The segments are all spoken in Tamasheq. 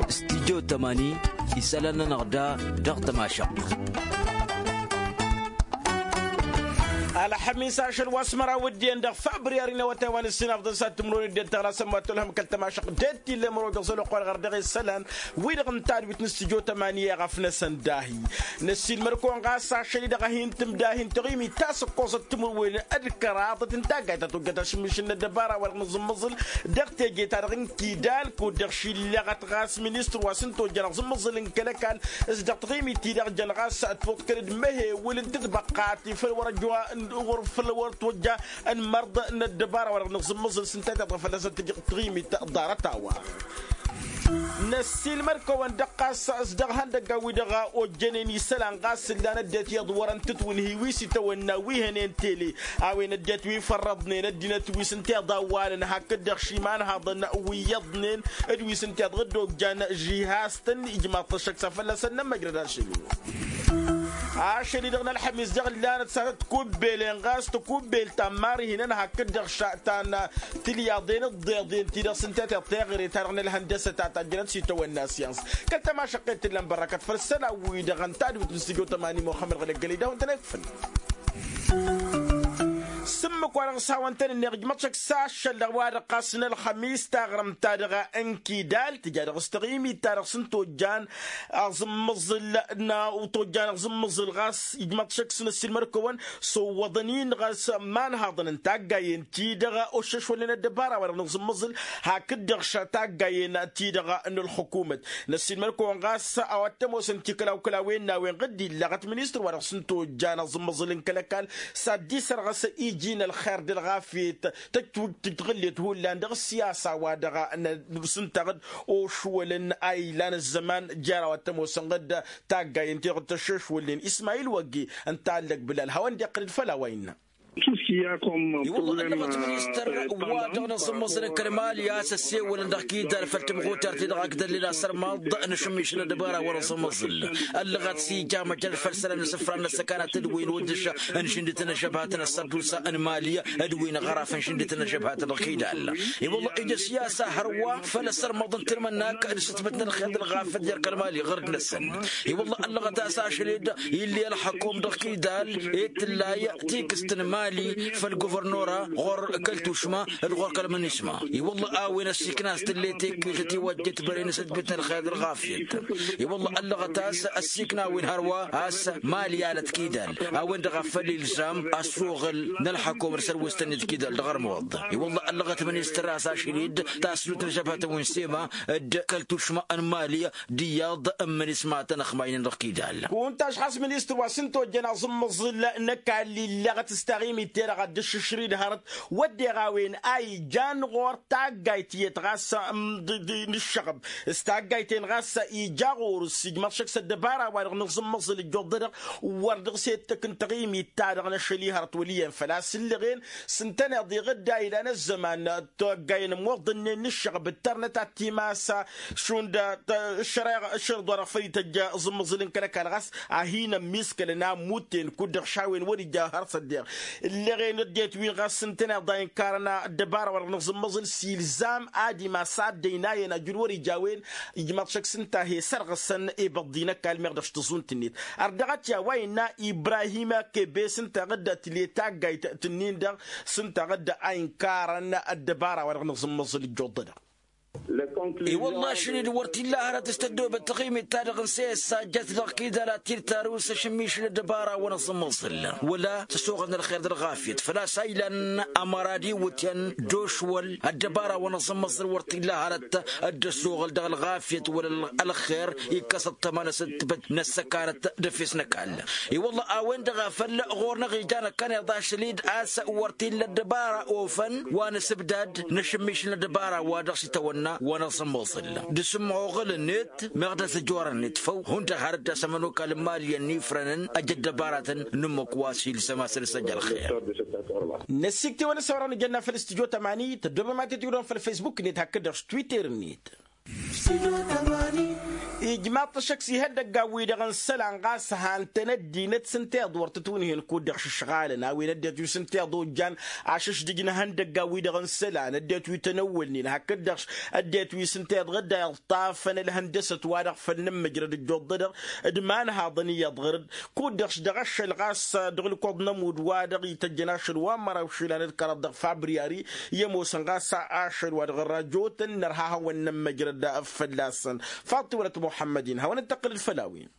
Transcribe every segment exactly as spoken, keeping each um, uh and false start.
Studyo tămani isălan-nănăɣ da dăɣ-tămašăɣt. Ălxămis ašăl wa s-măraw d-iyyăn dăɣ-făbriyari n-awătay wa n-ǝssin afḍăn s-ad-tǝmrăwăn dd-tăɣlasăm wa tolhăm kăl-tămašăɣt d-tillăm roḍ iɣẓăl oqor ɣăr dăɣ-isălan wi-dăɣ n-tadwit n-studyo tămani i-ɣăf-năsăn dahi. Năssiilmăr-kăwăn ɣas ašăl-i-dăɣ a hin-tǝmdahin taɣimit ta s-ǝkkoẓăt timǝrwen d-kăraḍăt n-taggayt ta tojjăt ašǝmmišǝl n-ăddăbara-wa-dăɣ n-aẓǝmmăẓǝl dăɣ-teje-ta-dăɣ n-kidal kud-dăɣ šillăɣăt ɣas ministăr wa s-ǝntojjăn aẓǝmmăẓǝl n-kăl-ăkall s-dăɣ taɣimit-ti-dăɣ jăn ɣas ătwăḍkăl d-măhewǝl n-tǝtbăqqat i-făll-wăr-ăjwa ɣur-făll-wăr-tojja ănmărḍ n-ăddăbara-wa-dăɣ n-aẓǝmmăẓǝl s-ǝnta i-tăḍrăf fălla-săn tǝjjăɣ taɣimit ḍarăt-a-wa. Năssiilmăr-kăwăn-dăɣ ɣas s-dăɣ ihăndăggan-wi-dăɣ ojjănen isălan ɣas ǝllan ăddinăt iyyăḍ wărăn tǝtwǝnhi wi s-itawănna wi hănen tele a-wen ăddinăt wi fărrăḍnen ăddinăt wi s-ǝnta iḍawwalăn hakd-dăɣ šimanhaḍăn wi iyyăḍnen d-wi s-ǝnta iḍăɣ dd-ojjan žihaz-tăn ijmaḍ-t ăššăk s-ad-fălla-săn nămmăjrăd ašăl-i. Ašăl-i-dăɣ n-ălxămis dăɣ-ǝllanăt s-ad-tǝkubbelen ɣas tǝkubbel ta n-imarihinăn hakd-dăɣ šătan tilyaḍen d-iḍeḍen-ti-dăɣ s-ǝnta teḍ teɣăre-ta-dăɣ n-ălhăndăsăt a tajjănăt s-itawănna syăns kăl-tămašăqqet t-ǝllan bărrakăt făll-isălan-wi-dăɣ ǝnta d-wǝtnǝs tǝjăw tămani muxămmăd ɣǝlăggălăy d-a-wen tăn-ekfǝn. S-ǝmmǝk-wa-dăɣ s-hawăn-tăn-ǝnneɣ ǝjmăḍ šăkk s-ašăl-dăɣ wa-dăɣ ɣas n-ălxămis taɣrǝmt-ta-dăɣ n-kidal tǝja dăɣ-s taɣimit-ta-dăɣ s-ǝnta ojjan aẓǝmmăẓǝl n-tojjan aẓǝmmăẓǝl ɣas ijmăḍ šăkk s-năssiilmăr-kăwăn s-owwăḍăn-in ɣas imanhaḍăn n-taggayen-ti-dăɣ oššăšwălnen ăddăbara-wa-dăɣ n-aẓǝmmăẓǝl hakd-dăɣ šăt taggayen-ti-dăɣ n-ălxukumăt. Năssiilmăr-kăwăn ɣas a-wa t-ămoosăn tikălaw-kălawen n-a-wen ɣǝdd-illăɣăt ministăr-wa-dăɣ s-ǝnta ojjan aẓǝmmăẓǝl n-kăl-ăkall s-ad-dd-isărɣăs iji n-ălxer d-ălɣafyăt tăt-tǝɣǝllet hullan dăɣ-ǝssiyasa-wa-dăɣ n-sǝntaɣ-dd ošwălăn a ilan ăzzăman jer-a-wa t-ămoosăn ɣǝdd taggayen-ti-dăɣ tăššăšwălnen ismayil wăgge ǝnta allăg bǝlal hawăn-dd-iqqǝl-dd făll-a-wa innă. I-wălla ăllăɣăt ministăr wa dăɣ-năẓǝmmăẓǝl n-kăl-mali a-s ăssewălăn dăɣ-kidal făll-tămɣutar-ti-dăɣ ak dăr-lila sărmaḍ n-ašǝmmišǝl n-ăddăbara wa năẓǝmmăẓǝl ăllăɣăt s-ija măjrăd făll-isălan n-asǝfra n-ăssăkanat d-wi n-uddǝš n-ašǝndit n-ažăbhat n-ăssărdusa n-mali d-wi n-aɣăraf n-ašǝndit n-ažăbhat dăɣ-kidal. I-wălla ija siyasa hărwa făll-asărmăḍ n-tilmănnak d-sǝtmǝt n-ălxer d-ălɣafăt jer-kăl-mali ɣur-dd-năsăn. I-wălla ăllăɣăt a-s ašăl-dd illi ălxăkum dăɣ-kidal i-tǝllay tikǝst n-mali făll-guvărnora ɣur-kăl-tušma d-ɣur-kăl-mănisma. I-wălla a-wen ăssiikna a-s tǝlley tekyult ătiwăjjet băre n-asǝtbǝt n-ălxer d-ălɣafyăt. I-wălla ăllăɣăt a-s ăssiikna a-wen hărwa a-s mali alăt kidal a-wen-dăɣ a făl ilzam ăssuɣǝl n-ălxăkum d-sărwǝst-net kidal dăɣ-ărmuḍ. I-wălla ăllăɣăt ministăr a-s ašăl-dd tasnut n-ažăbhătăn wi n-sema d-kăl-tušma n-mali d-iyyăḍ n-imǝnismatăn ăxmaynen dăɣ-kidal. Kunta ăšxas ministăr wa s-ǝnta ojjăn aẓǝmmăẓǝl n-ăkall illăɣăt s-taɣimit-te-dăɣ ad-dd-ǝššǝšrǝy d-hărăt wădden a-wen a ijan ɣur-taggayt tiyyăt ɣas n-ǝššăɣăb s-taggayt-en ɣas ija ɣur-s ijmăḍ šăkk s-ăddăbara-wa-dăɣ n-aẓǝmmăẓǝl ǝjjuḍădăɣ wăr dăɣ-s ettăk n-taɣimit-ta-dăɣ n-ašăl-i hărăt wăl' iyyăn făl-a-s ǝllăɣen s-ǝntăneḍ iɣǝdda ilan ăzzăman taggayen ămmoḍănnen n-ǝššăɣăb d-tărnăt ad-t-imas šund ǝššărăḍ wa-dăɣ făll-ităjj aẓǝmmăẓǝl n-kăl-ăkall ɣas a hin-ămmiskălăn ammut-en kud-dăɣ šawen wăr-ija har s-ăddeɣ ǝllăɣen ăddinăt-win ɣas s-ǝntăneḍ a inkarăn ăddăbara wa-dăɣ n-aẓǝmmăẓǝl s-ilzam ad-imas ad-dd-ăynayăn ajǝl wăr-ija a-wen. Ijmăḍ šăkk s-ǝnta a he-sărɣăsăn ibăḍḍi n-ăkall meɣ dăɣ-s tǝẓun-t-net ărdăɣăt i-a-wa innă ibrahim kebes ǝnta ɣǝdda tǝle taggayt tǝnnin-dăɣ s-ǝnta ɣǝdda a inkarăn ăddăbara wa-dăɣ n-aẓǝmmăẓǝl ǝjjuḍ-dăɣ. I-wălla ašăl-dd wăr t-illa hărăt s-tăddoobăt taɣimit-ta-dăɣ n-seyăssa jăt dăɣ-kidal ad-t-dd-tarǝw s-ašǝmmišǝl ăddăbara wa n-aẓǝmmăẓǝl wăla tăsoɣăl n-ălxer d-ălɣafyăt făl-a-s a ilan ămăra d-iwǝtyan d-ošwăl ăddăbara wa n-aẓǝmmăẓǝl wăr t-illa hărăt dd-ăsoɣăl dăɣ-ălɣafyăt wăla ălxer ikkăs ăṭṭăma n-asǝttǝbăt n-ăssăkanăt d-efes n-ăkall. I-wălla a-wen-dăɣ a făl ɣur-năɣ ijan ăkkaneḍ ašăl-dd a-s wăr t-illa ăddăbara ofăn wa n-asǝbdad n-ašǝmmišǝl n-ăddăbara wa dăɣ-s itawănna wa n-aẓǝmmăẓǝl d-asǝmmăɣăl-net meɣ d-azăjorăn-net făw hundăɣ har dd-asămănokal n-imali ănnifrănăn ăj ăddăbaratăn n-ǝmmǝk wa s-ilsăm asăl s-ăj ălxer. Năssiik tiwăn-ăsawărăn ijănna făll-studyo tămani tăddoobăm ad-t-dd-tiwǝdăm făll-facebook-net hakd-dăɣ s-twitter-net. Ijmaḍ-t ăššăk s-ihăndăggan-wi-dăɣ n-isălan ɣas han-tăn ăddinăt s-ǝnta iḍwăr-tǝtwǝnhǝyăn kud-dăɣ šǝšɣalăn a-wen ăddinăt wi s-ǝnta iḍojjan ašǝšdǝj n-ihăndăggan-wi-dăɣ n-isălan ăddinăt wi tăn-ăwwălnen hakd-dăɣ ăddinăt wi s-ǝnta iḍɣǝd a iḍtafăn ălhăndăsăt wa-dăɣ făll-nǝmmǝjrăd ǝjjuḍ-dăɣ d-imanhaḍăn iyyăḍ ɣǝr-dd. Kud-dăɣ dăɣ-ašăl ɣas dăɣ-ǝlkuḍ n-ămudd wa-dăɣ ităjjăn ašăl wa n-măraw išilan d-kăraḍ dăɣ-fabriyari i-ămoosăn ɣas ašăl wa dăɣ-ărrajotăn nărha ad-hawăn-nămmăjrăd fălla-săn. Faṭṭi wălăt muḥămmăd-in hawăn-dd-tăqqǝlăd făll-a-wen.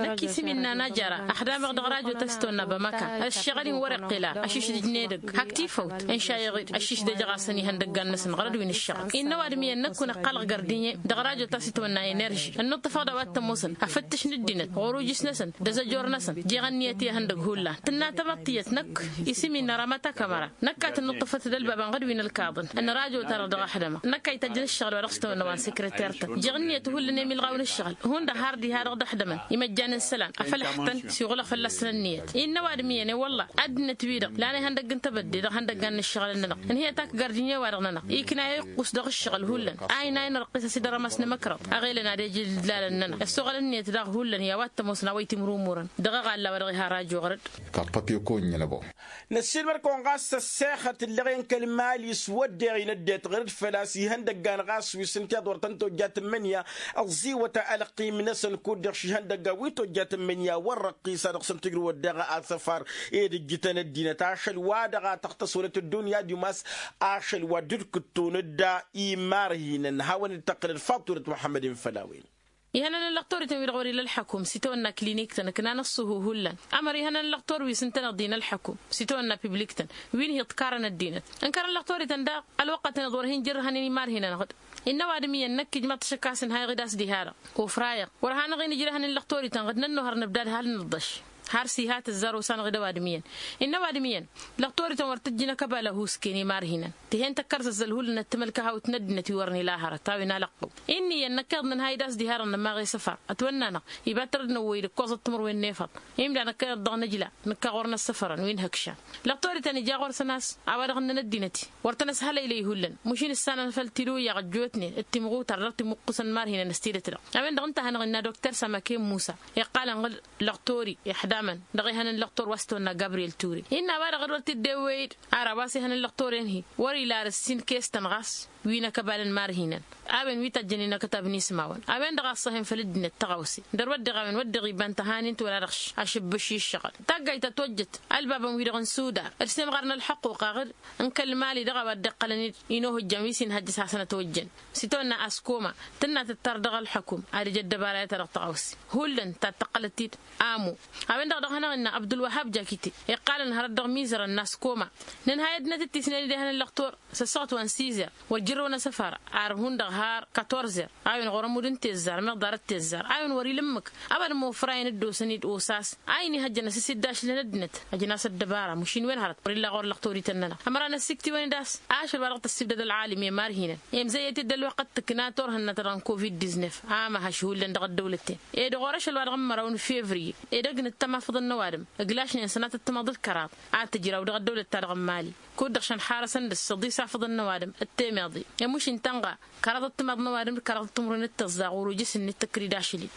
Năkk isǝm innă najara ăxdamăɣ dăɣ-rajo ta s-tăwănna bămăka ăššăɣǝl-in wăr-iqqǝla ašǝšdǝj n-edăgg hak tifăwt ǝnšayăɣ-dd ăššǝšdăjăɣ-asăn ihăndăggan-năsăn ɣărăd wi n-ǝššăɣǝl. Innă ăwadǝm iyyăn năkk wăr-năqqalăɣ gardǝnye dăɣ-rajo ta s-itwănna enerži ănnuṭṭăfăɣ d-a-wa t-ămoosăn afǝttǝš n-ăddinăt ɣur-ujǝs-năsăn d-azăjor-năsăn jeɣ ǝnniyăt i-ihăndăgg hullan. Tǝnna tamăḍt tiyyăt năkk isǝm-in ăramăt akămăra năkk a tănnuṭṭăfăt d-ălbabăn ɣǝd wi n-ălkaḍăn n-rajo-ta-dăɣ dăɣ-aḥdămăɣ năkk a ităjjăn ǝššăɣǝl wa dăɣ-s tăwănna wa n-sekreter-tăn jeɣ ǝnniyăt hullan emilɣaw n-ǝššăɣǝl hundăɣ har diha-dăɣ d-aḥdămăn imăjjan n-isălan afăl ăḥtăn s-iɣulăɣ fălla-săn ǝnniyăt. Innă ăwadǝm iyyăn i-wălla ăddinăt-wi-dăɣ lan ihăndăgg n-tebădde dăɣ-ihăndăggan n-ǝššăɣǝlăn-nănăɣ ǝnhǝyăt ak gardǝnye-wa-dăɣ-nănăɣ ikna iqqus dăɣ-ǝššăɣǝl hullan a inayăn răqqis a-s dd-ărămas n-emăkrăḍ. Ăɣelăn ad-ejǝl ǝdlalăn-nănăɣ ăssoɣăl ǝnniyăt daɣ hullan i-a-wa t-ămoosăn a-wa itimrumurăn dăɣ-eɣalla wa dăɣ-iha rajo ɣăr-dd. Kaṭṭăt i-kăwăn-iyyăn ăbo. Năssiilmăr-kăwăn ɣas ăssexăt ǝlleɣ i-ǝnkăl mali s-wădden inăddinăt ɣăr-dd făl-a-s ihăndăggan ɣas wi s-ǝnta iḍwăr-tăn tojjat n-imǝnya ăẓẓiwăt ălqim-năsăn kud-dăɣ šihăndăggan wi tojjat n-imǝnya wăr-răqqisa dăɣ-săn tǝjrǝwăt daɣ asăfar ed ǝjjǝtăn ăddinăt ašăl wa dăɣ-a tăɣtăs wălăt ăddunya d-imas ašăl wa dd-kǝtton dd-imarhinăn hawăn-dd-tăqqǝlăd faḍt wălăt muḥămmăd-in făll-a-wen. Ihănăn ǝllăɣ torităn wi-dăɣ wăr-ila ălḥăkum s-itawănna klinik-tăn ǝknan ăṣṣuhu hullan. Ămăr ihănăn ǝllăɣ tori wi s-ǝntăneḍ-in ălḥăkum s-itawănna piblik-tăn wi n-hi-iḍkarăn ăddinăt. Ǝnkărăn ǝllăɣ torităn daɣ ălwăqqăt-net ɣur-hin-jărrăhăn i-imarhinăn-ɣ-dd. Innă ăwadǝm iyyăn năkk ijmăḍ-t ašăk a-s ǝnhayăɣ-dd a-s diha-dăɣ ufrayăɣ wăr hanăɣ-in-ǝjrăhăn ǝllăɣ torităn-ɣ-dd nănnuhăr nǝbdad hal nǝḍḍăš. Har s-iha tǝzzar osanăɣ-dd ăwadǝm iyyăn. Innă ăwadǝm iyyăn ǝllăɣ torităn wăr tǝjjǝn ăkăbal ăhuusken imarhinăn. Tǝhen tăkkărzăzzăl hullan ăttămălk ahawt n-ăddinăt wi wăren ila hărăt a-wen alăqqăw. Innă iyyăn năkk iḍnăn ha-dd a-s diha-dăɣ nămaɣ i-săfar ătwănna-năɣ iba tărăd n-ăwwăy d-ǝkkoẓăt timǝrwen n-efăḍ. Imda năkk iḍnăn ǝjla nǝkka ɣur-năssăfărăn wi n-ihăkšan. Ǝllăɣ torităn ija ɣur-săn a-s a-wa-dăɣ ǝnnăn ăddinăt-i wăr tăn-ăshălăylăy hullan. Măšin ǝssanăn făll-tiluyyaɣ ăjjootnen d-timɣutar dăɣ-timuqqusăn n-imarhinăn s-tidǝt-dăɣ. A-wen-dăɣ ǝnta a hanăɣ-innă dokter sămăke n-musa iqqalăn ɣǝl lăɣ tori iḥdamăn dăɣ-ehăn n-lăɣ tor wa s-tăwănna gabriyel ture. Innă a-wa-dăɣ dd-wăr t-dd-ewwey-dd ar a-wa s-ehăn n-lăɣ tori ănhi wăr-ila ar ǝssin kestăn ɣas wi n-akăbal n-imarhinăn. A-wen wi tăjjăn inăkătab n-ismawăn a-wen-dăɣ a ăṣṣăhen făll-ăddinăt tăɣawse. Dăr-wădden a-wen wădden iba n-tăhanin tiwăla dăɣ-ašǝbbǝš i-ǝššăɣǝl taggayt ta tojjăt ălbabăn-wi-dăɣ n-suda. Ǝrsem ɣarăn ălḥăqquqa ɣǝd n-kăl-mali dăɣ-a-wa dd-iqqălăn-dd inohǝjjăn wi s-inhăjjăs hasăn-ătwăjjăn s-itawănna askoma. Tǝnna tǝttar dăɣ-ălḥăkum ad-ija ăddăbara i-ta dăɣ-tăɣawse hullan ta t-ăqqălăt-dd. Amu a-wen-dăɣ dăɣ-hanăɣ-innă abdulwăhab jakite iqqalăn hărăt dăɣ-imizărăn n-askoma. Nǝnhay ăddinăt d-tisnen-dd ehăn n-lăxtor s-ăssuɣăt wa n-sizer wăr jărrăwăn asăfar ar hundăɣ har katorzer. A-wen ɣur-ămudd n-tezzar meɣ ḍarăt tezzar a-wen wăr-ila ǝmmǝk. Ăwadǝm ofrayăn dd-osăn-dd osas a inihăjjăn asǝsiddašlăn ăddinăt. Ăjnas ăddăbara măšin wen hărăt wăr-illa ɣur-lăxtorităn-nănăɣ. Ămăra n-ăssiktǝwăn-dd a-s ašăl wa dăɣ-tăssibdăd ălɣalim i-imarhinăn emzăyyăt-dd ălwăqq d-tǝkna turhǝnna-ta-dăɣ n-covid-diznef. Ama haš hullan dăɣ-ăddăwlăt-ten edăɣ orăšăl wa dăɣ-n măraw n-fevriye edăgg n-ǝttăm afǝḍăn n-ăwadǝm ǝglašnen sănatăt timaḍ d-kăraḍ. A tǝjraw dăɣ-ăddăwlăt-ta-dăɣ n-mali kud-dăɣ šăn xarăsăn dăɣ-s ăḍis afǝḍăn n-ăwadǝm d-temeḍe. Ămuš n-tănɣa kăraḍăt timaḍ n-ăwadǝm d-kăraḍăt timǝrwen d-tǝẓẓaɣ ɣur-ujǝs-net tăkk-dd ašăl-in.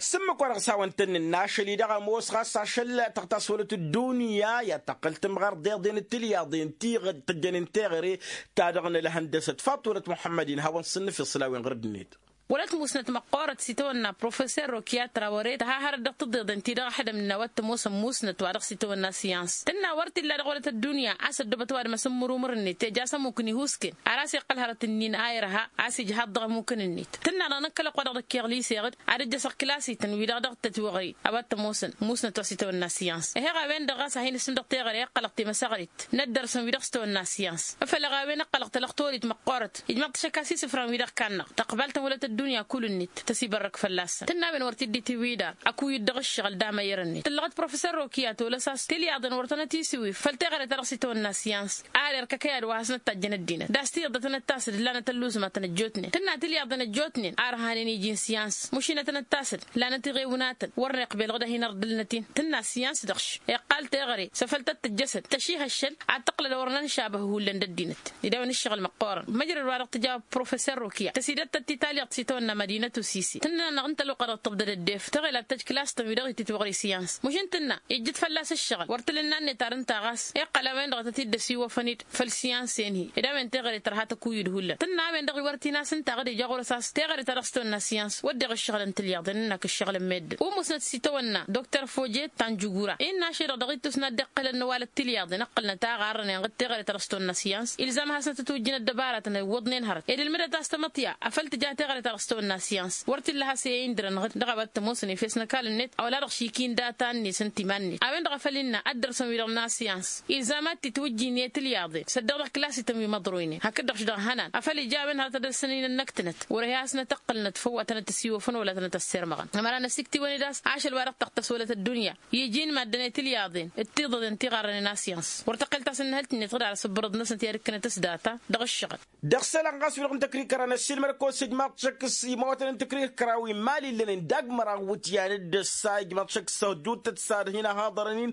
S-ǝmmǝk wa dăɣ-s-a-wăn-tăn-nǝnna ašăl-i-dăɣ ămoos ɣas ašăl tăɣtas wălăt ăddunya i-ad-tăqqǝl tǝmɣar d-iḍen d-tilyaḍen ti tǝjjănen teɣăre ta dăɣ-nălhăndăsăt faḍt wălăt muḥămmăd-in hawăn-s ǝnnǝfeṣ făll-a-wen ɣur-dd-net. Wălăt musnăt măqqoorăt s-itawănna professor rokiyatra wăr-e tăha hărăt dăɣ-tǝḍeḍen-ti-dăɣ ăḥdăm innă a-wa t-ămoosăn musnăt wa dăɣ-s itawănna syans tǝnna wăr t-illa dăɣ-wălăt ăddunya a-s ăddoobăt ăwadǝm asǝmmǝrumǝr-net ija a-s ămmukǝn ihusken. Ar a-s iqqăl hărăt-ǝnnin a irha a-s ijhaḍ dăɣ-ămmukăn-net tǝnna-dăɣ năkkălăq wa dăɣ-dăkkeɣ liseɣ-dd ad-ǝjjăsăɣ kǝlas-ităn wi-dăɣ dăɣ-tătwăɣăy a-wa t-ămoosăn musnăt wa s-itawănna syans. Ih'-eɣ a-wen-dăɣ ɣas a hin-ǝsǝn dăɣ-teɣăre ăqqălăɣ temăsăɣrit n-ăddărsăn wi dăɣ-s tawănna syans. Făl-ăɣ a-wen ăqqălăɣ talăɣtorit măqqoorăt ijmăḍ-t ašăk a-s isǝfran wi-dăɣ kannăɣ tăqbal-tăn wălăt. ăddunya kull-net tăsibărrăk fălla-săn tǝnna a-wen wăr t-dd-itiwǝy dar ăkuy-dd dăɣ-ǝššăɣǝl d-amăyyăr-net tǝllăɣăt professor rokiya tolăs a-s tilyaḍen wăr tănăt-isiwǝy făll-teɣăre ta dăɣ-s itawănna syans. Ar erk ăkăyad wa hasnăt-tajjăn ăddinăt d-a-s tiyyăḍ dăɣ-tănăt-tasăd ǝllanăt ălluẓma tănăt-jotnen tǝnna tilyaḍen ăjjootnen ar hanen iji n-syans mušin ad-tănăt-tasăd. Lanăt iɣewnatăn wăr n-iqbel dăɣ-hin-ărḍǝlnăt-in tǝnna syans dăɣ-š iqqal teɣăre s-afăl tăt-tǝjjăsăd tăšihăššăl ad-tăqqǝlăd a wăr n-anšabăh hullan d-ăddinăt. Ed a-wen ǝššăɣǝl măqqoorăn măjrăd wa dăɣ-tǝja professor rokiya tăsidăt-tăt titalyaḍt s-itawănna mădinăt usisi tǝnnănăɣ ǝnta ălwăqq-a dăɣ-tǝbdăd ăddef tăɣila tăjj klass-tăn wi-dăɣ ititwăɣri syans mušǝn tǝnna ijjǝt fălla-s ǝššăɣǝl wăr t-ǝlǝnna-net ar ǝnta ɣas iqqăl a-wen-dăɣ a tăt-dd-ăsiwăfăn făll-syans-en-hi ed a-wen teɣăre tărha tăkuy-dd hullan tǝnna a-wen-dăɣ iwăr t-in-as ǝnta aɣǝd ija ɣur-s a-s teɣăre ta dăɣ-s tawănna syans wădden ăššăɣǝlăn tilyaḍen ǝnnak ǝššăɣǝlăn meddǝn umǝsnăt s-itawănna doktor fojet tanjugura innă ašăl-dăɣ dăɣ-ittus n-ad-dd-iqqǝlăn n-ăwalăt tilyaḍen ǝqqǝlnăt a ɣarrănen ɣǝd teɣăre ta dăɣ-s tawănna syans ilzam ad-hasnăt ătwǝjjǝn ăddăbaratăn iwwăḍnen hărăt ed ǝlmǝdăt a-s tamăṭṭya afăl tǝja teɣăre ta dăɣ-s tawănna syans wăr t-illa a has-e-indărăn ɣǝd dăɣ-a-wa t-ămoosăn efes n-ăkall-net a wăla dăɣ-šik-in data-net n-timan-net a-wen-dăɣ a făl innă ad-dăr-săn wi-dăɣ n-asyans ilzam ad-t-itwǝjjǝn i-tilyaḍen s-ăddeɣ dăɣ-klasităn wi măḍroynen hakd-dăɣ š-dăɣ hănan afăl ija a-wen hărăt ad-ălsăn-in ănnăktănăt wăr-e hasnăt-ăqqǝlnăt făw wa tănăt-ăsiwăfăn wăla tănăt-ăssirmăɣăn ămăra n-ăsiktiwăn-dd a-s ašăl wa dăɣ-tăɣtăs wălăt ăddunya iji n-maddǝn i-tilyaḍen d-tiḍăḍen tiɣarrănen asyans wăr tăqqel tasǝnnăhălt-net ɣǝd ar asǝbbărăḍ-năsnăt i-ad-ǝkkǝnăt s-data dăɣ-ǝššăɣǝl. Dăɣ-isălan ɣas wi-dăɣ n-tăkrikăra n-ăssiilmăd-kăwăn s-ijmaḍ-šăk s-imawătăn n-tăkrikăra wi n-imali ǝllănen dagg-măraw iwǝtyan d-ăssa ijmaḍ-šăk s-ăhduuttăt s-ad-hin-ăhaḍărăn-in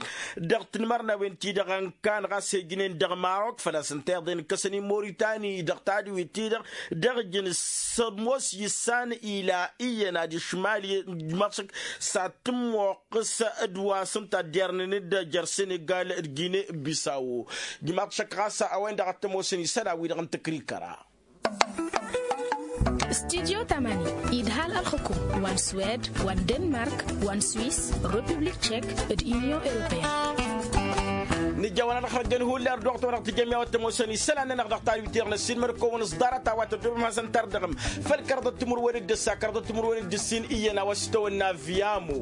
dăɣ-tinmărnawen-ti-dăɣ ănkan ɣas ejnen dăɣ-marok făl-a-s ǝnta iḍen ǝkkăsăn-in moritani dăɣ-tadǝwit-ti-dăɣ dăɣ-ijǝn s-ămoos issan ila iyyăn ad-išmal ijmaḍ-šăk s-ad-tǝmmoqqǝs d-wa s-ǝnta ăddiyărnen-dd jer-senegal d-gine-bisawo. Ijmaḍ-šăk ɣas a-wen-dăɣ ad-t-ămoosăn isălan-wi-dăɣ n-tăkrikăra. Studyo tamani idhal ălxǝkum wa n-swed wa n-denmark wa n-swis, republik tšek, d-inyon europeyăn. Nǝjjawăn ad-ăxrăjăn hullan ărdăɣăt wa dăɣ-tijămya wa t-ămoosăn isălan-nănăɣ dăɣ-tadwit-i-dăɣ n-ăssiilmăd-kăwăn s-ḍarăt a-wa tăddobăm hasăn-tărdăɣăm făll-kăraḍăt timǝrwen d-ǝssa kăraḍăt timǝrwen d-ǝssin iyyăn a-wa s-itawănna viamo.